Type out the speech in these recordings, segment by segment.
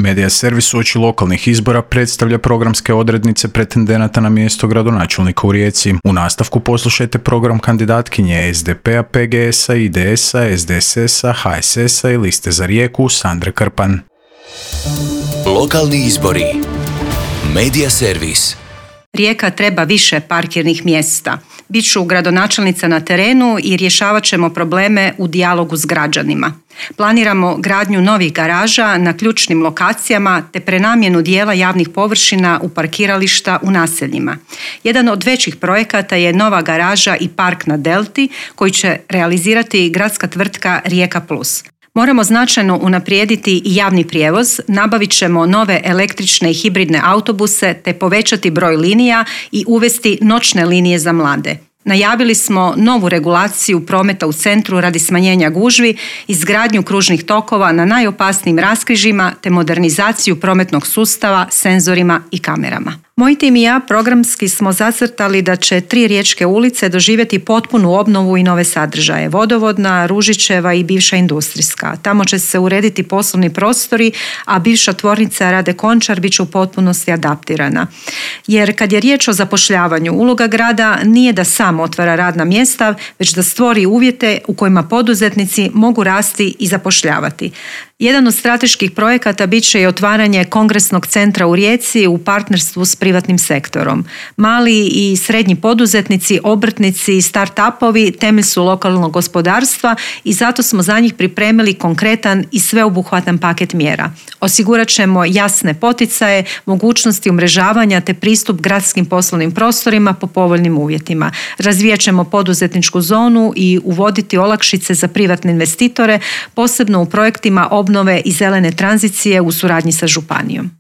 Medija servis uoči lokalnih izbora predstavlja programske odrednice pretendenata na mjesto gradonačelnika u Rijeci. U nastavku poslušajte program kandidatkinje SDP-a, PGS-a, IDS-a, SDSS-a, HSS-a i Liste za Rijeku Sandre Krpan. Lokalni izbori. Medija servis. Rijeka treba više parkirnih mjesta. Biću gradonačelnica na terenu i rješavat ćemo probleme u dijalogu s građanima. Planiramo gradnju novih garaža na ključnim lokacijama te prenamjenu dijela javnih površina u parkirališta u naseljima. Jedan od većih projekata je nova garaža i park na Delti koji će realizirati gradska tvrtka Rijeka Plus. Moramo značajno unaprijediti i javni prijevoz, nabavit ćemo nove električne i hibridne autobuse te povećati broj linija i uvesti noćne linije za mlade. Najavili smo novu regulaciju prometa u centru radi smanjenja gužvi, izgradnju kružnih tokova na najopasnijim raskrižjima te modernizaciju prometnog sustava senzorima i kamerama. Moj tim i ja programski smo zacrtali da će 3 riječke ulice doživjeti potpunu obnovu i nove sadržaje. Vodovodna, Ružićeva i bivša industrijska. Tamo će se urediti poslovni prostori, a bivša tvornica Rade Končar bit će u potpunosti adaptirana. Jer kad je riječ o zapošljavanju, uloga grada nije da sam otvara radna mjesta, već da stvori uvjete u kojima poduzetnici mogu rasti i zapošljavati. Jedan od strateških projekata bit će i otvaranje kongresnog centra u Rijeci u partnerstvu s privatnim sektorom. Mali i srednji poduzetnici, obrtnici i start-upovi temelj su lokalnog gospodarstva i zato smo za njih pripremili konkretan i sveobuhvatan paket mjera. Osigurat ćemo jasne poticaje, mogućnosti umrežavanja te pristup gradskim poslovnim prostorima po povoljnim uvjetima. Razvijat ćemo poduzetničku zonu i uvoditi olakšice za privatne investitore, posebno u projektima obnove i zelene tranzicije u suradnji sa županijom.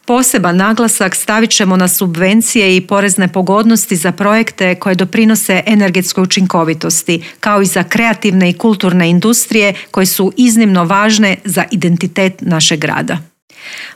Poseban naglasak stavit ćemo na subvencije i porezne pogodnosti za projekte koje doprinose energetskoj učinkovitosti, kao i za kreativne i kulturne industrije koje su iznimno važne za identitet našeg grada.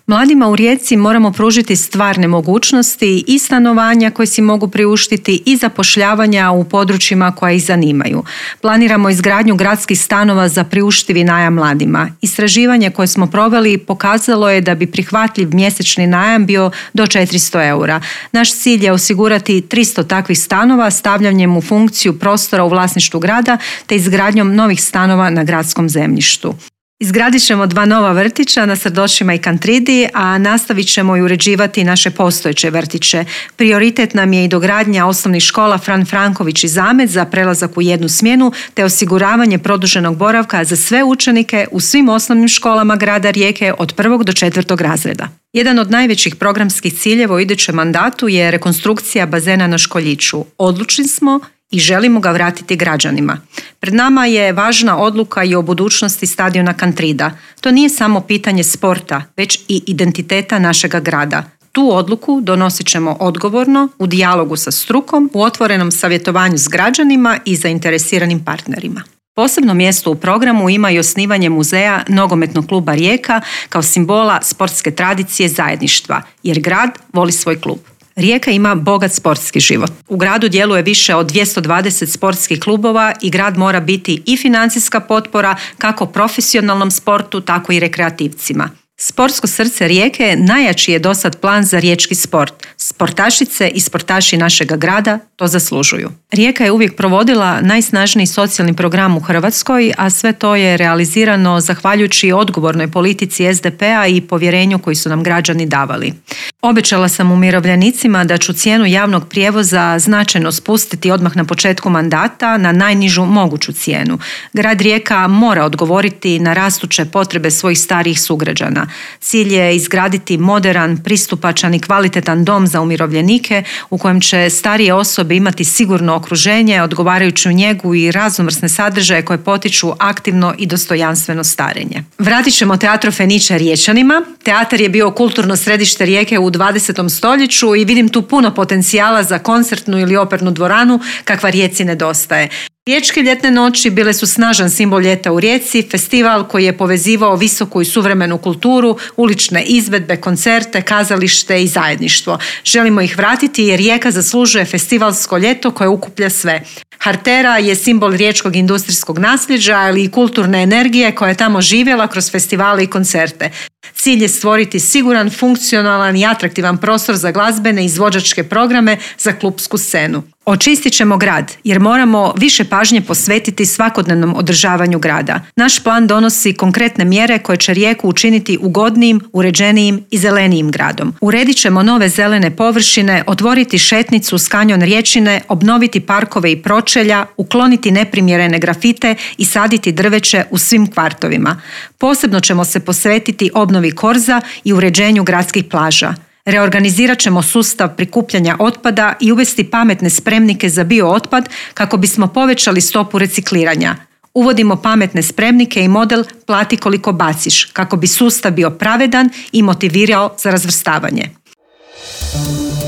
Mladima u Rijeci moramo pružiti stvarne mogućnosti i stanovanja koje si mogu priuštiti i zapošljavanja u područjima koja ih zanimaju. Planiramo izgradnju gradskih stanova za priuštivi najam mladima. Istraživanje koje smo proveli pokazalo je da bi prihvatljiv mjesečni najam bio do 400 eura. Naš cilj je osigurati 300 takvih stanova stavljanjem u funkciju prostora u vlasništvu grada te izgradnjom novih stanova na gradskom zemljištu. Izgradit ćemo 2 nova vrtića na Srdošima i Kantridi, a nastavit ćemo i uređivati naše postojeće vrtiće. Prioritet nam je i dogradnja osnovnih škola Fran Franković i Zamet za prelazak u jednu smjenu, te osiguravanje produženog boravka za sve učenike u svim osnovnim školama grada Rijeke od 1. do 4. razreda. Jedan od najvećih programskih ciljeva u idućem mandatu je rekonstrukcija bazena na Školjiću. Odlučni smo i želimo ga vratiti građanima. Pred nama je važna odluka i o budućnosti stadiona Kantrida. To nije samo pitanje sporta, već i identiteta našega grada. Tu odluku donosit ćemo odgovorno, u dijalogu sa strukom, u otvorenom savjetovanju s građanima i zainteresiranim partnerima. Posebno mjesto u programu ima i osnivanje muzeja Nogometnog kluba Rijeka kao simbola sportske tradicije zajedništva, jer grad voli svoj klub. Rijeka ima bogat sportski život. U gradu djeluje više od 220 sportskih klubova i grad mora biti i financijska potpora kako profesionalnom sportu, tako i rekreativcima. Sportsko srce Rijeke najjači je dosad plan za riječki sport. Sportašice i sportaši našega grada to zaslužuju. Rijeka je uvijek provodila najsnažniji socijalni program u Hrvatskoj, a sve to je realizirano zahvaljujući odgovornoj politici SDP-a i povjerenju koji su nam građani davali. Obećala sam umirovljenicima da ću cijenu javnog prijevoza značajno spustiti odmah na početku mandata na najnižu moguću cijenu. Grad Rijeka mora odgovoriti na rastuće potrebe svojih starijih sugrađana. Cilj je izgraditi moderan, pristupačan i kvalitetan dom za umirovljenike u kojem će starije osobe imati sigurno okruženje, odgovarajuću njegu i raznovrsne sadržaje koje potiču aktivno i dostojanstveno starenje. Vratit ćemo Teatro Fenice Riječanima. Teatar je bio kulturno središte Rijeke u 20. stoljeću i vidim tu puno potencijala za koncertnu ili opernu dvoranu kakva Rijeci nedostaje. Riječke ljetne noći bile su snažan simbol ljeta u Rijeci, festival koji je povezivao visoku i suvremenu kulturu, ulične izvedbe, koncerte, kazalište i zajedništvo. Želimo ih vratiti jer Rijeka zaslužuje festivalsko ljeto koje ukuplja sve. Hartera je simbol riječkog industrijskog nasljeđa, ali i kulturne energije koja je tamo živjela kroz festivale i koncerte. Cilj je stvoriti siguran, funkcionalan i atraktivan prostor za glazbene i izvođačke programe za klupsku scenu. Očistit ćemo grad jer moramo više pažnje posvetiti svakodnevnom održavanju grada. Naš plan donosi konkretne mjere koje će Rijeku učiniti ugodnijim, uređenijim i zelenijim gradom. Uredit ćemo nove zelene površine, otvoriti šetnicu uz kanjon Riječine, obnoviti parkove i pročelja, ukloniti neprimjerene grafite i saditi drveće u svim kvartovima. Posebno ćemo se posvetiti obnovi korza i uređenju gradskih plaža. Reorganizirat ćemo sustav prikupljanja otpada i uvesti pametne spremnike za biootpad kako bismo povećali stopu recikliranja. Uvodimo pametne spremnike i model plati koliko baciš kako bi sustav bio pravedan i motivirao za razvrstavanje.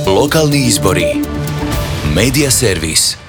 Lokalni izbori. Medija servis.